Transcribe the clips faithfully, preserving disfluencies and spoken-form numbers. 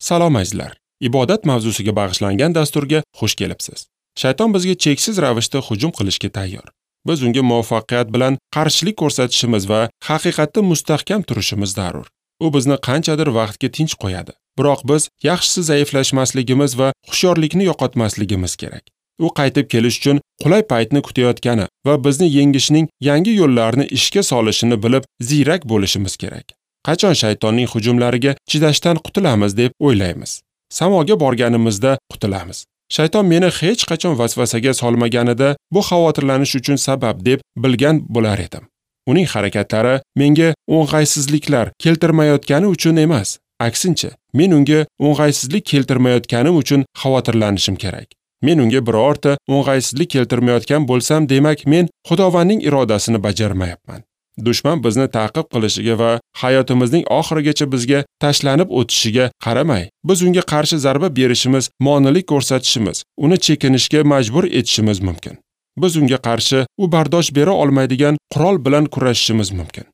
Salom azizlar. Ibodat mavzusiga bag'ishlangan dasturga xush kelibsiz. Shayton bizga cheksiz ravishda hujum qilishga tayyor. Biz unga muvaffaqiyat bilan qarshilik ko'rsatishimiz va haqiqatda mustahkam turishimiz zarur. U bizni qanchadir vaqtga tinch qo'yadi. Biroq biz yaxshisi zaiflashmasligimiz va hushyorlikni yo'qotmasligimiz kerak. U qaytib kelish uchun qulay paytni kutayotgani va bizni yengishning yangi yo'llarini ishga solishini bilib, ziyrak bo'lishimiz kerak. Qachon shaytonning hujumlariga chidashdan qutulamiz deb o'ylaymiz. Samoga borganimizda qutulamiz. Shayton meni hech qachon vasvasaga solmaganida bu xavotirlanish uchun sabab deb bilgan bo'lar edim. Uning harakatlari menga o'ng'aysizliklar keltirmayotgani uchun emas, aksincha, men unga o'ng'aysizlik keltirmayotganim uchun xavotirlanishim kerak. Men unga birorta o'ng'aysizlik keltirmayotgan bo'lsam, demak men Xudovandning irodasini bajarmayapman. Dushman bizni ta'qib qilishiga va hayotimizning oxirigacha bizga tashlanib o'tishiga qaramay, biz unga qarshi zarba berishimiz, monelik ko'rsatishimiz, uni chekinishga majbur etishimiz mumkin. Biz unga qarshi u bardosh bera olmaydigan qurol bilan kurashishimiz mumkin.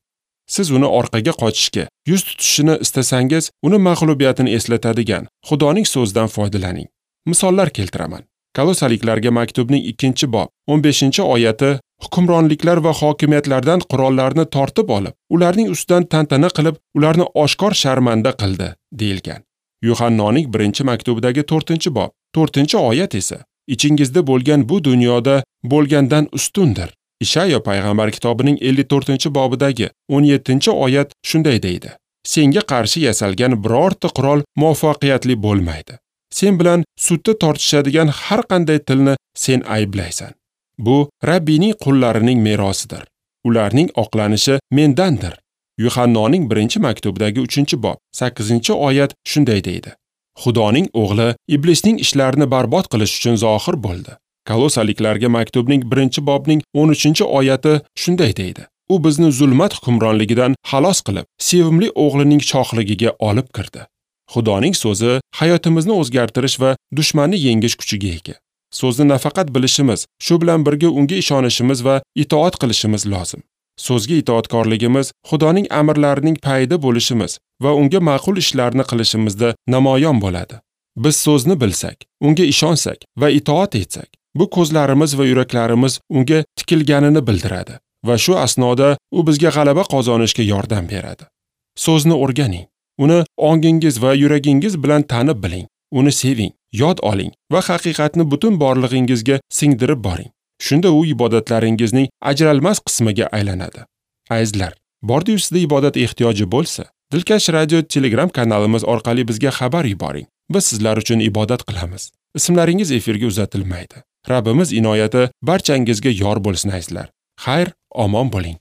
Siz uni orqaga qochishga, yuz tutishini istasangiz, uni mag'lubiyatini eslatadigan Xudoning so'zidan foydalaning. Misollar keltiraman. Kolosaliklarga maktubning ikkinchi bob o'n beshinchi oyati hukmronliklar va hokimiyatlardan qurollarni tortib olib, ularning ustidan tantana qilib, ularni oshkor sharmanda qildi, deyilgan. Yuhannoning birinchi maktubidagi to'rtinchi bob to'rtinchi oyat esa ichingizda bo'lgan bu dunyoda bo'lgandan ustundir. Ishayo payg'ambar kitobining ellik to'rtinchi bobidagi o'n yettinchi oyat shunday deydi: Senga qarshi yasalgan birorta qurol muvaffaqiyatli bo'lmaydi. Sen bilan sudda tortishadigan har qanday tilni sen ayblaysan. Bu Rabbiyning qullarining merosidir. Ularning oqlanishi mendandir. Yuhannoning birinchi maktubidagi uchinchi bob sakkizinchi oyat shunday deydi: Xudoning o'g'li iblisning ishlarini barbod qilish uchun zohir bo'ldi. Kolosaliklarga maktubning birinchi bobning o'n uchinchi oyati shunday deydi: U bizni zulmat hukmronligidan xalos qilib, sevimli o'g'lining shohligiga olib kirdi. Xudoning so'zi hayotimizni o'zgartirish va dushmanni yengish kuchiga ega. So'zni nafaqat bilishimiz, shu bilan birga unga ishonishimiz va itoat qilishimiz lozim. So'zga itoatkorligimiz Xudoning amrlarining payida bo'lishimiz va unga ma'qul ishlarni qilishimizda namoyon bo'ladi. Biz so'zni bilsak, unga ishonsak va itoat etsak, bu ko'zlarimiz va yuraklarimiz unga tikilganini bildiradi va shu asnoda u bizga g'alaba qozonishga yordam beradi. So'zni o'rganing. Uni ongingiz va yuragingiz bilan tanib biling, uni seving, yod oling va haqiqatni butun borlig'ingizga singdirib boring. Shunda u ibodatlaringizning ajralmas qismiga aylanadi. Azizlar, bordi-yu sizda ibodat ehtiyoji bo'lsa, Dilkash Radio Telegram kanalimiz orqali bizga xabar yuboring. Biz sizlar uchun ibodat qilamiz. Ismlaringiz efirga uzatilmaydi. Rabbimiz inoyati barchangizga yor bo'lsin azizlar. Xayr, omon bo'ling.